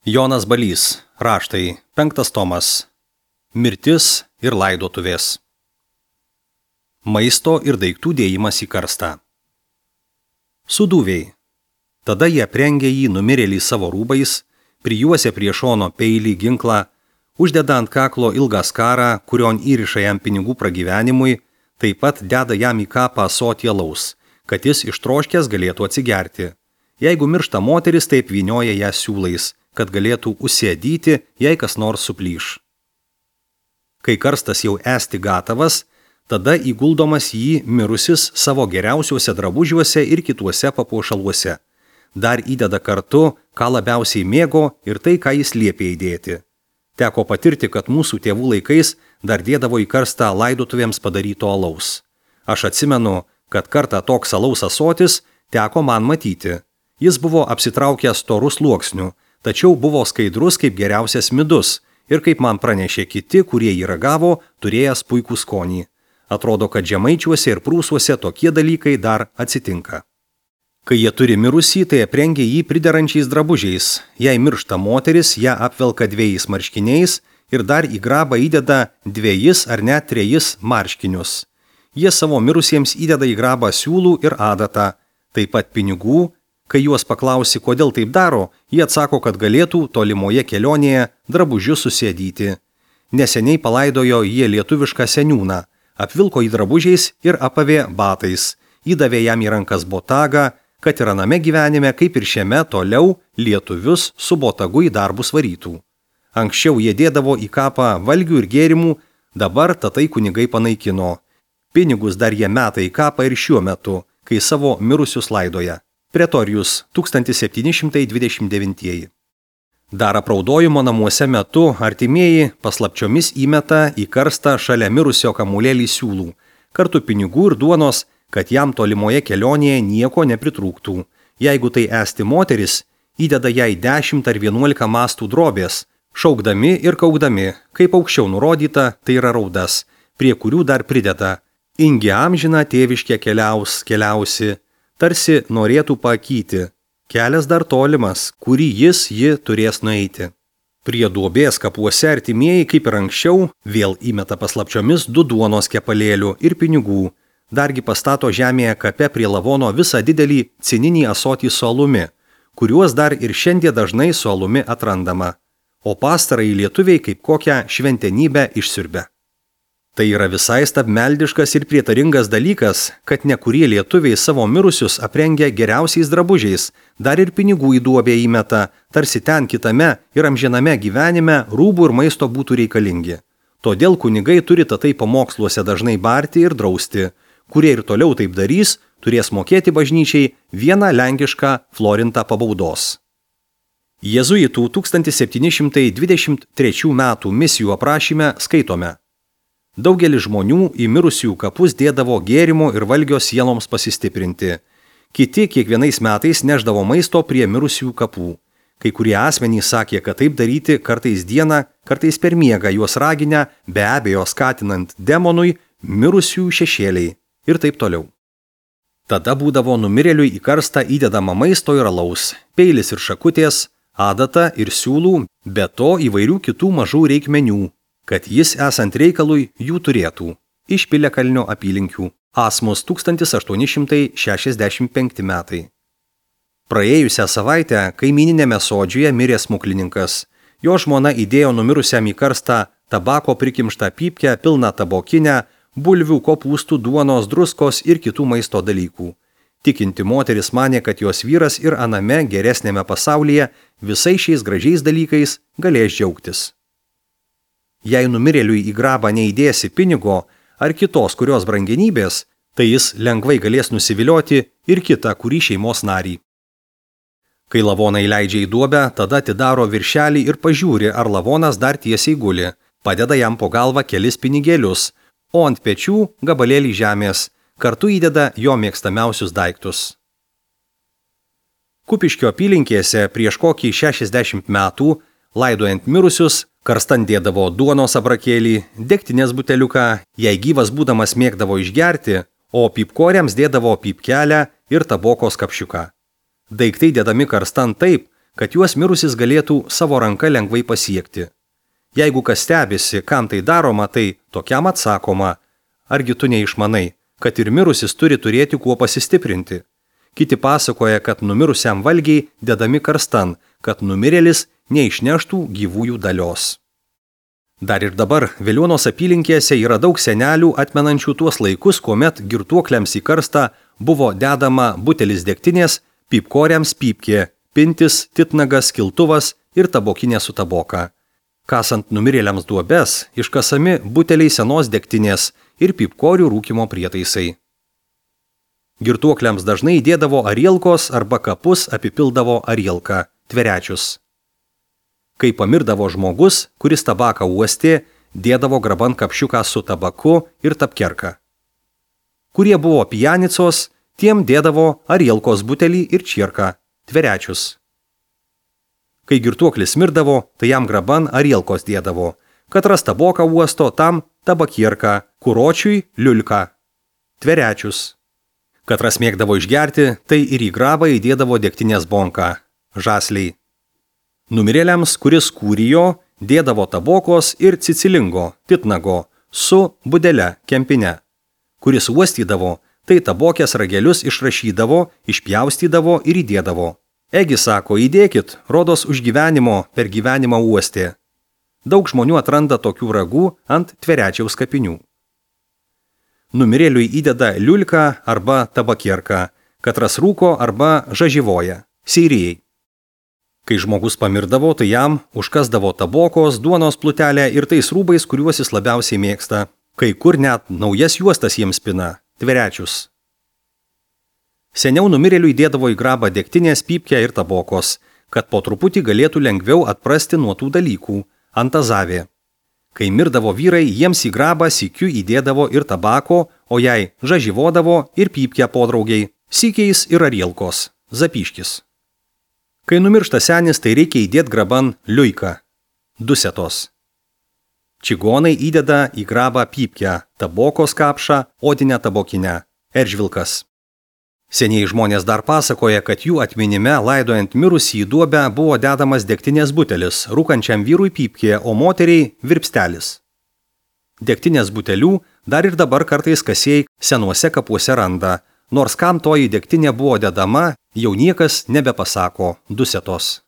Jonas Balys, raštai, 5 tomas. Mirtis ir laidotuvės. Maisto ir daiktų dėjimas į karstą. Sudūviai. Tada jie aprengė jį numirėlį savo rūbais, prijuosė prie šono peilį ginklą, uždeda ant kaklo ilgą skarą, kurion įriša jam pinigų pragyvenimui, taip pat deda jam į kapą ąsotį alaus, kad jis ištroškęs galėtų atsigerti. Jeigu miršta moteris, taip vynioja ją siūlais, kad galėtų užsėdyti, jei kas nors suplyš. Kai karstas jau esti gatavas, tada įguldomas jį mirusis savo geriausiuose drabužiuose ir kituose papuošaluose. Dar įdeda kartu, ką labiausiai mėgo ir tai, ką jis liepė įdėti. Teko patirti, kad mūsų tėvų laikais dar dėdavo į karstą laidotuvėms padaryto alaus. Aš atsimenu, kad kartą toks alaus ąsotis teko man matyti. Jis buvo apsitraukęs storu sluoksniu, tačiau buvo skaidrus kaip geriausias midus ir, kaip man pranešė kiti, kurie jį ragavo, turėjęs puikų skonį. Atrodo, kad žemaičiuose ir prūsuose tokie dalykai dar atsitinka. Kai jie turi mirusį, tai aprengia jį priderančiais drabužiais. Jei miršta moteris, ją apvelka 2 marškiniais ir dar į grabą įdeda 2 ar net 3 marškinius. Jie savo mirusiems įdeda į grabą siūlų ir adatą, taip pat pinigų. Kai juos paklausi, kodėl taip daro, jie atsako, kad galėtų tolimoje kelionėje drabužius susėdyti. Neseniai palaidojo jie lietuvišką seniūną, apvilko jį drabužiais ir apavė batais, įdavė jam į rankas botagą, kad ir aname gyvenime, kaip ir šiame, toliau lietuvius su botagu į darbus varytų. Anksčiau jie dėdavo į kapą valgių ir gėrimų, dabar tatai kunigai panaikino. Pinigus dar jie meta į kapą ir šiuo metu, kai savo mirusius laidoja. Pretorijus 1729. Dar apraudojimo namuose metu artimieji paslapčiomis įmeta į karstą šalia mirusio kamulėlį siūlų, kartu pinigų ir duonos, kad jam tolimoje kelionėje nieko nepritrūktų. Jeigu tai esti moteris, įdeda jai 10 ar 11 mastų drobės, šaukdami ir kaukdami, kaip aukščiau nurodyta, tai yra raudas, prie kurių dar prideda: ingi amžina tėviškė keliausi, tarsi norėtų pakyti, kelias dar tolimas, kurį ji turės nueiti. Prie duobės kapuose artimieji, kaip ir anksčiau, vėl įmeta paslapčiomis 2 duonos kepalėlių ir pinigų, dargi pastato žemėje kape prie lavono visą didelį cininį ąsotį su alumi, kuriuos dar ir šiandien dažnai su alumi atrandama, o pastarąjį lietuviai kaip kokią šventenybę išsiurbia. Tai yra visai stabmeldiškas ir prietaringas dalykas, kad nekurie lietuviai savo mirusius aprengia geriausiais drabužiais, dar ir pinigų į duobę įmeta, tarsi ten kitame ir amžiname gyvenime rūbų ir maisto būtų reikalingi. Todėl kunigai turi tatai pamoksluose dažnai barti ir drausti. Kurie ir toliau taip darys, turės mokėti bažnyčiai 1 lenkišką florintą pabaudos. Jėzuitų 1723 metų misijų aprašyme skaitome: daugelis žmonių į mirusiųjų kapus dėdavo gėrimo ir valgio sieloms pasistiprinti. Kiti kiekvienais metais neždavo maisto prie mirusiųjų kapų. Kai kurie asmenys sakė, kad taip daryti kartais dieną, kartais per miegą, juos raginę, be abejo skatinant demonui, mirusiųjų šešėliai ir taip toliau. Tada būdavo numirėliui į karstą įdedama maisto ir alaus, peilis ir šakutės, adata ir siūlų, be to įvairių kitų mažų reikmenių, kad jis esant reikalui jų turėtų. Iš Piliakalnio apylinkių. Asmus 1865 metai. Praėjusią savaitę kaimyninėme sodžiuje mirė smuklininkas. Jo žmona įdėjo numirusiam į karstą tabako prikimštą pypkę, pilną tabokinę, bulvių, kopūstų, duonos, druskos ir kitų maisto dalykų. Tikinti moteris manė, kad jos vyras ir aname geresnėme pasaulyje visais šiais gražiais dalykais galės džiaugtis. Jei numirėliui į grabą neįdėsi pinigo ar kitos kurios brangenybės, tai jis lengvai galės nusivilioti ir kitą kurį šeimos narį. Kai lavoną įleidžia į duobę, tada atidaro viršelį ir pažiūri, ar lavonas dar tiesiai guli, padeda jam po galvą kelis pinigėlius, o ant pečių gabalėlį žemės, kartu įdeda jo mėgstamiausius daiktus. Kupiškio apylinkėse prieš kokį 60 metų, laidojant mirusius, karstan dėdavo duonos abrakėlį, degtinės buteliuką, jei gyvas būdamas mėgdavo išgerti, o pypkoriams dėdavo pypkelę ir tabokos kapšiuką. Daiktai dėdami karstan taip, kad juos mirusis galėtų savo ranka lengvai pasiekti. Jeigu kas stebisi, kam tai daroma, tai tokiam atsakoma, argi tu neišmanai, kad ir mirusis turi turėti kuo pasistiprinti. Kiti pasakoja, kad numirusiam valgiai dedami karstan, kad numirėlis neišneštų gyvųjų dalios. Dar ir dabar Veliuonos apylinkėse yra daug senelių atmenančių tuos laikus, kuomet girtuokliams į karstą buvo dedama butelis degtinės, pypkoriams pypkė, pintis, titnagas, kiltuvas ir tabokinė su taboka. Kasant numirėliams duobes, iškasami buteliai senos degtinės ir pypkorių rūkimo prietaisai. Girtuokliams dažnai įdėdavo arielkos arba kapus apipildavo arielką, tverečius. Kai pamirdavo žmogus, kuris tabaką uostė, dėdavo graban kapšiuką su tabaku ir tapkerką. Kurie buvo pijanicos, tiem dėdavo arielkos butelį ir čierką, tverečius. Kai girtuoklis mirdavo, tai jam graban arielkos dėdavo, katras taboką uosto, tam tabakierką, kuročiui liulką, tverečius. Katras mėgdavo išgerti, tai ir į grabą įdėdavo degtinės bonką, žasliai. Numirėliams, kuris kūrijo, dėdavo tabokos ir cicilingo, titnago, su budele, kempine. Kuris uostydavo, tai tabokės ragelius išrašydavo, išpjaustydavo ir įdėdavo. Egi sako, įdėkit, rodos už gyvenimo per gyvenimą uostė. Daug žmonių atranda tokių ragų ant tverečiaus kapinių. Numirėliui įdeda liulką arba tabakierką, katras rūko arba žažyvoja, seirijai. Kai žmogus pamirdavo, tai jam užkasdavo tabokos, duonos plutelę ir tais rūbais, kuriuos jis labiausiai mėgsta. Kai kur net naujas juostas jiems pina, tverečius. Seniau numirėliui dėdavo į grabą degtinės, pypkę ir tabokos, kad po truputį galėtų lengviau atprasti nuo tų dalykų, antazavė. Kai mirdavo vyrai, jiems į grabą sykiu įdėdavo ir tabako, o jai žažyvodavo ir pypkę podraugiai, sykiais ir arielkos, zapyškis. Kai numiršta senis, tai reikia įdėti graban liuiką, dusetos. Čigonai įdeda į grabą pypkę, tabokos kapšą, odinę tabokinę, eržvilkas. Seniai žmonės dar pasakoja, kad jų atminime laidojant mirusį į duobę buvo dedamas degtinės butelis, rūkančiam vyrui pypkė, o moteriai virpstelis. Degtinės butelių dar ir dabar kartais kasėjai senuose kapuose randa, nors kam toji degtinė buvo dedama, jau niekas nebepasako, dusetos.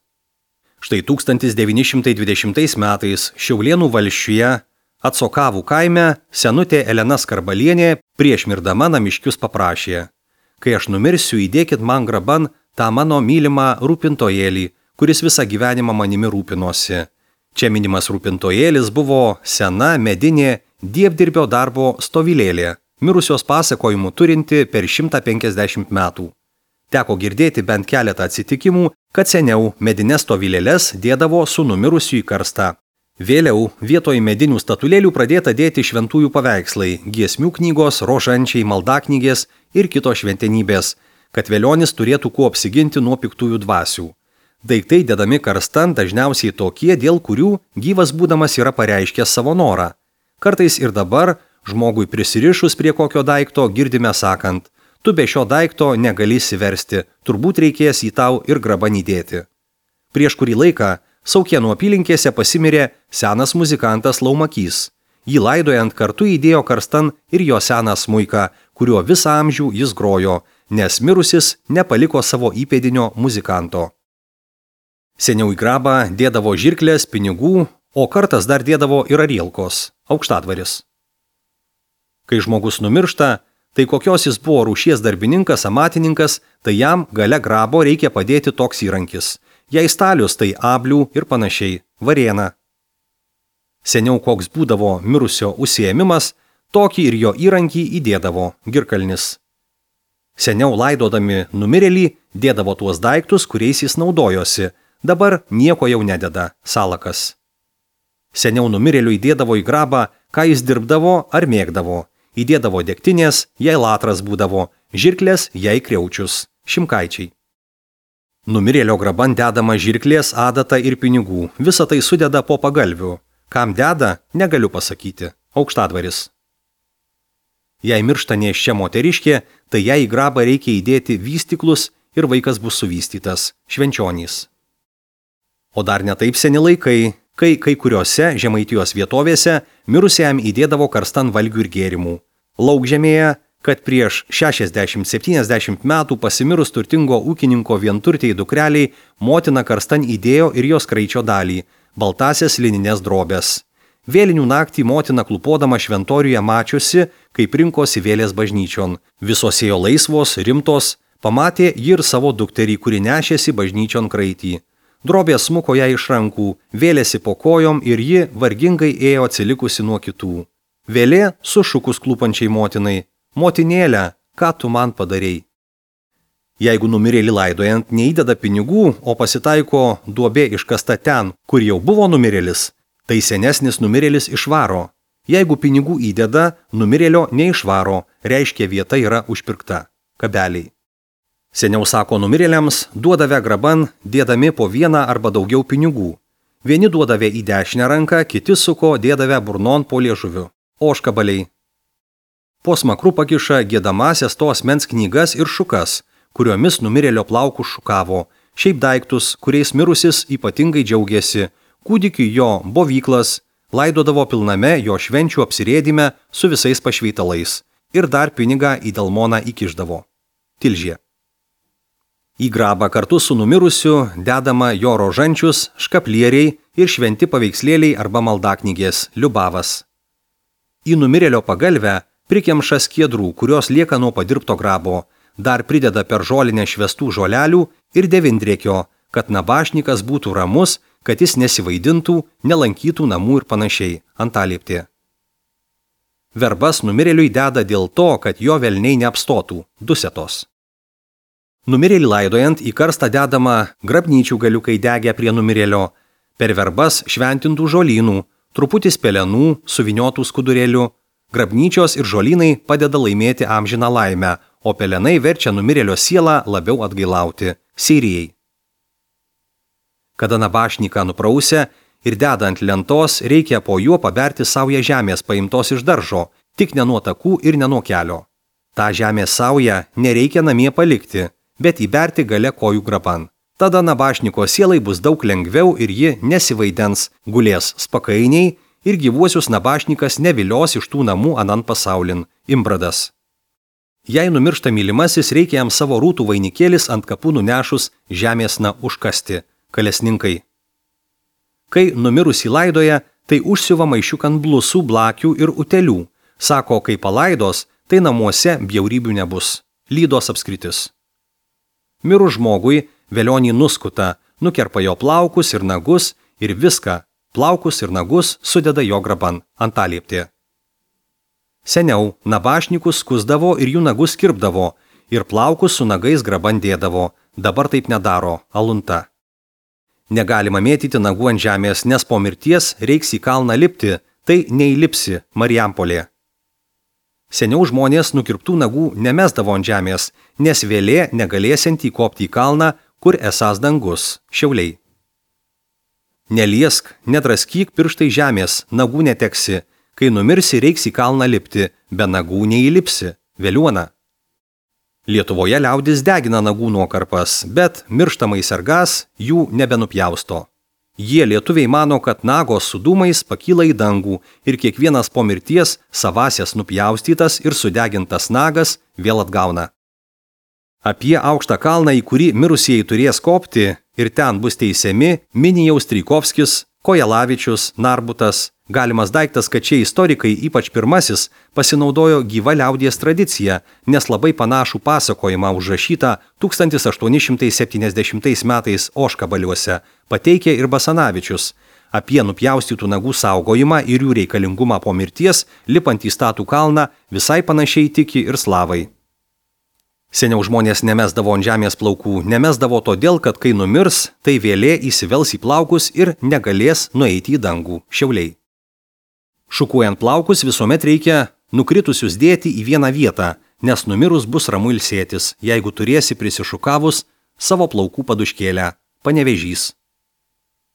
Štai 1920 metais Šiaulėnų valsčiuje Atsokavų kaime senutė Elena Skarbalienė prieš mirdama namiškius paprašė: kai aš numirsiu, įdėkit man graban tą mano mylimą rūpintojėlį, kuris visą gyvenimą manimi rūpinosi. Čia minimas rūpintojėlis buvo sena medinė dievdirbio darbo stovylėlė, mirusios pasakojimų turinti per 150 metų. Teko girdėti bent keletą atsitikimų, kad seniau medines stovylėles dėdavo su numirusiu į karstą. Vėliau vietoj medinių statulėlių pradėta dėti šventųjų paveikslai, giesmių knygos, rožančiai, maldaknygės ir kitos šventenybės, kad velionis turėtų kuo apsiginti nuo piktųjų dvasių. Daiktai dedami karstan dažniausiai tokie, dėl kurių gyvas būdamas yra pareiškęs savo norą. Kartais ir dabar žmogui prisirišus prie kokio daikto girdime sakant: tu be šio daikto negali įsiversti, turbūt reikės jį tau ir graban įdėti. Prieš kurį laiką Saukėnų apylinkėse pasimirė senas muzikantas Laumakys. Jį laidojant kartu įdėjo karstan ir jo seną smuiką, kuriuo visą amžių jis grojo, nes mirusis nepaliko savo įpėdinio muzikanto. Seniau į grabą dėdavo žirklės, pinigų, o kartas dar dėdavo ir arielkos, aukštadvaris. Kai žmogus numiršta, tai kokios jis buvo rūšies darbininkas, amatininkas, tai jam gale grabo reikia padėti toks įrankis. Jei stalius, tai ablių ir panašiai, varėna. Seniau koks būdavo mirusio užsiėmimas, tokį ir jo įrankį įdėdavo, girkalnis. Seniau laidodami numirėlį dėdavo tuos daiktus, kuriais jis naudojosi, dabar nieko jau nededa, salakas. Seniau numirėliui dėdavo į grabą, ką jis dirbdavo ar mėgdavo. Įdėdavo degtinės, jei latras būdavo, žirklės, jei kriaučius, šimkaičiai. Numirėlio graban dedama žirklės, adata ir pinigų, visą tai sudeda po pagalvių. Kam deda, negaliu pasakyti, aukštadvaris. Jei miršta nėščia moteriškė, tai jai į grabą reikia įdėti vystyklus ir vaikas bus suvystytas, švenčionys. O dar netaip seni laikai, kai kuriuose Žemaitijos vietovėse mirusiam įdėdavo karstan valgių ir gėrimų. Laukžemėje, kad prieš 60-70 metų pasimirus turtingo ūkininko vienturtiai dukreliai motina karstan įdėjo ir jos kraičio dalį – baltasias lininės drobės. Vėlinių naktį motina klupodama šventoriuje mačiusi, kaip rinkosi vėlės bažnyčion. Visos ėjo laisvos, rimtos, pamatė ji ir savo dukterį, kuri nešėsi bažnyčion kraitį. Drobė smuko ją iš rankų, vėlėsi po kojom ir ji vargingai ėjo atsilikusi nuo kitų. Vėlė sušukus klūpančiai motinai: Motinėle, ką tu man padarei? Jeigu numirėlį laidojant neįdeda pinigų, o pasitaiko duobė iškasta ten, kur jau buvo numirėlis, tai senesnis numirėlis išvaro. Jeigu pinigų įdeda, numirėlio neišvaro, reiškia vieta yra užpirkta. Kabeliai. Seniau, sako, numirėliams duodavę graban, dėdami po vieną arba daugiau pinigų. Vieni duodavę į dešinę ranką, kiti suko dėdavę burnon po liežuviu. Ožkabaliai. Po smakru pakiša giedamasias to asmens knygas ir šukas, kuriomis numirėlio plaukus šukavo, šiaip daiktus, kuriais mirusis ypatingai džiaugiasi, kūdikiui jo bovyklas, laidodavo pilname jo švenčių apsirėdime su visais pašveitalais ir dar pinigą į delmoną įkišdavo. Tilžė. Į grabą kartu su numirusiu dedama jo rožančius, škaplieriai ir šventi paveikslėliai arba maldaknygės, liubavas. Į numirėlio pagalvę prikemša skiedrų, kurios lieka nuo padirbto grabo, dar prideda per žolinę švestų žolelių ir devindrėkio, kad nabašnikas būtų ramus, kad jis nesivaidintų, nelankytų namų ir panašiai. Antalieptė. Verbas numirėliui deda dėl to, kad jo velniai neapstotų. Dusetos. Numirėlį laidojant į karstą dedama grabnyčių galiukai degę prie numirėlio, per verbas šventintų žolynų, truputis pelenų, suviniotų skudurėlių. Grabnyčios ir žolynai padeda laimėti amžiną laimę, o pelenai verčia numirėlio sielą labiau atgailauti. Sirijai. Kada nabašniką nuprausę ir dedant lentos, reikia po juo paberti saują žemės paimtos iš daržo, tik ne nuo takų ir ne nuo kelio. Ta žemės saują nereikia namie palikti, bet įberti gale kojų graban. Tada nabašniko sielai bus daug lengviau ir ji nesivaidens, gulės spakainiai ir gyvuosius nabašnikas nevilios iš tų namų anan pasaulin. Imbradas. Jei numiršta mylimasis, reikia jam savo rūtų vainikėlis ant kapų nunešus žemėsna užkasti. Kalesninkai. Kai numirusį laidoja, tai užsiuva maišiuk ant blusų, blakių ir utelių. Sako, kai palaidos, tai namuose bjaurybių nebus. Lydos apskritis. Mirus žmogui velionį nuskuta, nukerpa jo plaukus ir nagus ir viską, plaukus ir nagus sudeda jo graban. Antalieptė. Seniau nabašnikus skusdavo ir jų nagus kirpdavo, ir plaukus su nagais graban dėdavo, dabar taip nedaro. Alunta. Negalima mėtyti nagų ant žemės, nes po mirties reiks į kalną lipti, tai neįlipsi. Marijampolė. Seniau žmonės nukirptų nagų nemesdavo ant žemės, nes vėlė negalėsianti įkopti į kalną, kur esąs dangus. Šiauliai. Neliesk, nedraskyk pirštai žemės, nagų neteksi. Kai numirsi, reiks į kalną lipti, be nagų neįlipsi. Veliuona. Lietuvoje liaudis degina nagų nuokarpas, bet mirštamai sergas jų nebenupjausto. Jie lietuviai mano, kad nagos su dūmais pakyla į dangų ir kiekvienas po mirties savasias nupjaustytas ir sudegintas nagas vėl atgauna. Apie aukštą kalną, į kurį mirusieji turės kopti ir ten bus teisiami, mini jau Strijkovskis, Kojelavičius, Narbutas. Galimas daiktas, kad šie istorikai, ypač pirmasis, pasinaudojo gyva liaudies tradicija, nes labai panašų pasakojimą užrašytą 1870 metais Ožkabaliuose pateikė ir Basanavičius apie nupjaustytų nagų saugojimą ir jų reikalingumą po mirties, lipant į statų kalną, visai panašiai tiki ir slavai. Seniau žmonės nemesdavo ant žemės plaukų, nemesdavo todėl, kad kai numirs, tai vėlė įsivels į plaukus ir negalės nueiti į dangų. Šiauliai. Šukuojant plaukus visuomet reikia nukritusius dėti į vieną vietą, nes numirus bus ramu ilsėtis, jeigu turėsi prisišukavus savo plaukų paduškėlę. Panevėžys.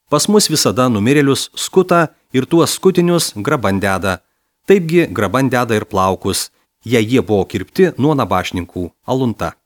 Pas mus visada numirėlius skuta ir tuos skutinius graban deda. Taipgi graban deda ir plaukus, jei jie buvo kirpti nuo nabašninkų. Alunta.